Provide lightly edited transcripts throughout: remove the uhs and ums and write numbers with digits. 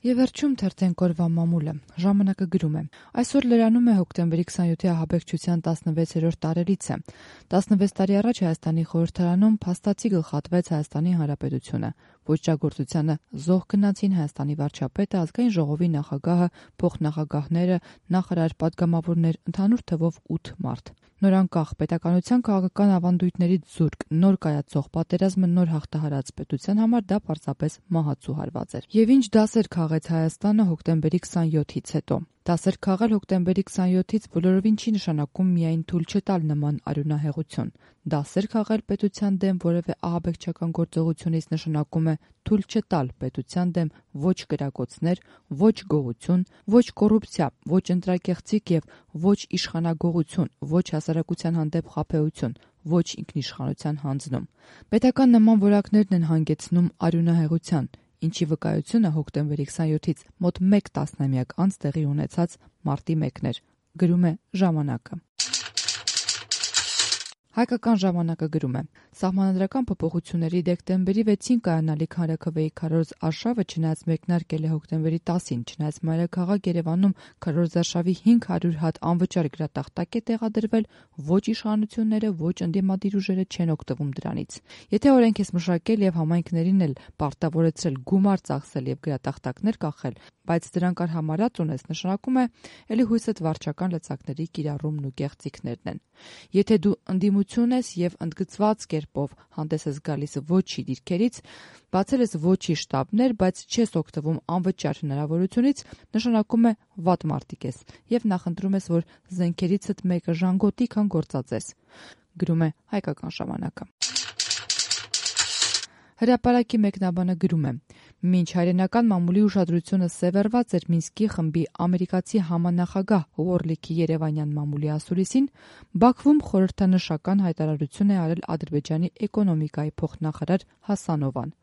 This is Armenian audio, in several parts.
Եվ վերջում թերթենք օրվա մամուլը։ Ժամանակը գրում է. այսօր լրանում է հոկտեմբերի 27-ի ահաբեկչության 16-րդ տարելիցը։ 16 տարի առաջ Հայաստանի խորհրդարանում փաստացի գլխատվեց Հայաստանի Հանրապետությունը։ Ոճրագործությանը զոհ գնացին Հայաստանի վարչապետը, ազգային ժողովի նախագահը, փոխնախագահները, նախարար, պատգամավորներ, ընդհանուր թվով 8 մարդ։ Նորանկախ պետականության քաղաքական ավանդույթներից զուրկ, նոր կայացող պատերազմը նոր հաղթահարած պետության համար դա պարզապես մահացու հարված էր։ Եվ ինչ դասեր քաղեց Հայաստանը հոկտեմբերի 27-ից հետո։ Դասեր քաղել հոկտեմբերի 27-ից բոլորովին չի նշանակում միայն թույլ չտալ նման արյունահեղություն։ Դասեր քաղել պետության դեմ որևէ ահաբեկչական գործողությունից նշանակում է թույլ չտալ պետության դեմ ոչ կրակոցներ, ոչ գողություն, ոչ կոռուպցիա, ոչ ընտրակեղծիք եւ ոչ իշխանագողություն, ոչ հասարակության հանդեպ խաբեություն, ոչ ինքնիշխանության հանձնում։ Պետական նման որակներն են հանգեցնում արյունահեղության, ինչի վկայությունը հոկտեմբերի 27-ից մոտ 1 տասնամյակ անց տեղի ունեցած մարտի 1-ն էր, գրում է «Ժամանակը»։ Հայկական ժամանակը գրում է. Սահմանադրական փոփոխությունների դեկտեմբերի 6-ին կայանալիք հանրաքվեի քարոզ արշավը չնայած մեկնարկել է հոկտեմբերի 10-ին, չնայած մայրաքաղաք Երևանում քարոզարշավի 500 հատ անվճար գրատախտակ է տեղադրվել, ոչ իշխանությունները, ոչ ընդդիմադիր ուժերը չեն օգտվում դրանից։ Եթե օրենք ես մշակել եւ համայնքներին էլ պարտավորեցրել գումար ծախսել եւ գրատախտակներ կախել, բայց դրանք արհամարած ունես, նշանակում է էլի հույսդ վարչական լծակների կիրառումն ու կեղծիքներն են։ Եթե դու ընդդիմություն ես եւ ընդգծված կերպով հանդես ես գալիս ոչի դիրքերից, բացել ես ոչի շտաբներ, բայց չես օգտվում անվճար հնարավորությունից, նշանակում է վատ մարտիկ ես եւ նախընտրում ես, որ զենքերիցդ մեկը ժանգոտի, քան գործածես, գրում է Հայկական ժամանակը։ Հրապարակի մեկնաբանը գրում է. մինչ հայրենական մամուլի ուշադրությունը սևեռված էր Մինսկի խմբի ամերիկացի համանախագահ Ուորլիքի երևանյան մամուլի ասուլիսին, Բաքվում խորհրդանշական հայտարարություն է արել Ադրբեջանի էկոնոմիկայի փոխնախարար Հասանովան։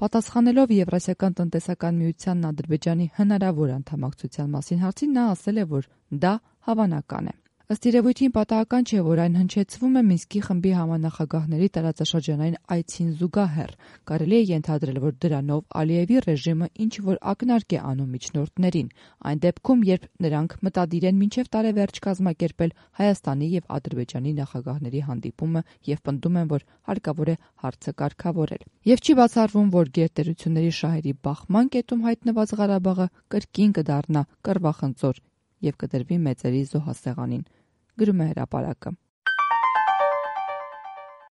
Պատասխանելով Եվրասիական տնտեսական միությանն Ադրբեջանի հնարավոր անդամակցության մասին հարցին, նա ասել է, որ դա հավանական է։ Ըստ երևույթին պատահական չէ, որ այն հնչեցվում է Մինսկի խմբի համանախագահների տարածաշրջանային այցին զուգահեռ։ Կարելի է ենթադրել, որ դրանով Ալիևի ռեժիմը ինչ-որ ակնարկ է անում միջնորդներին, այն դեպքում, երբ նրանք մտադիր են մինչև տարեվերջ կազմակերպել Հայաստանի եւ Ադրբեջանի նախագահների հանդիպումը եւ պնդում են, որ հարկավոր է հարցը կարգավորել։ Եվ չի բացառվում, որ գերտերությունների շահերի բախման կետում հայտնված Ղարաբաղը կրկին կդառնա կռվախնձոր եւ կդրվի մեծերի զոհասեղանին, գրում է Հրապարակը։